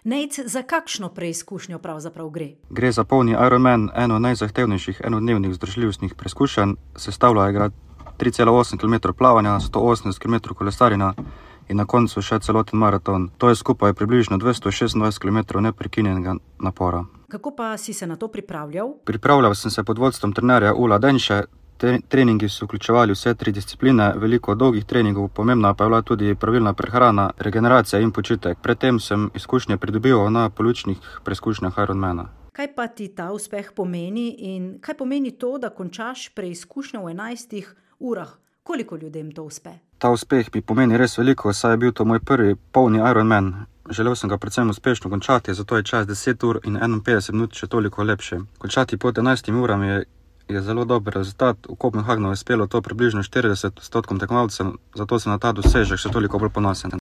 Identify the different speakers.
Speaker 1: Nejc, za kakšno preizkušnjo pravzaprav gre?
Speaker 2: Gre za polni Ironman, eno najzahtevnejših enodnevnih vzdržljivostnih preizkušenj. Sestavljajo ga 3,8 km plavanja, 180 km kolesarjenja in na koncu še celoten maraton. To je skupaj približno 226 km neprekinjenega napora.
Speaker 1: Kako pa si se na to pripravljal?
Speaker 2: Pripravljal sem se pod vodstvom trenerja Ula Denše. Treningi so vključevali vse 3 discipline, veliko dolgih treningov, pomembna pa je bila tudi pravilna prehrana, regeneracija in počitek. Predtem sem izkušnje pridobil na polovičnih preizkušnjah Ironmana.
Speaker 1: Kaj pa ti ta uspeh pomeni in kaj pomeni to, da končaš preizkušnjo v 11 urah? Koliko ljudem to uspe?
Speaker 2: Ta uspeh mi pomeni res veliko, saj je bil to moj prvi polni Ironman. Želel sem ga predvsem uspešno končati, zato je čas 10 ur in 51 minut še toliko lepše. Končati pod 11 urami je zelo dober rezultat. V Kopenhagnu je uspelo to približno 40% tekmovalcev, zato sem na ta dosežek še toliko bolj ponosen.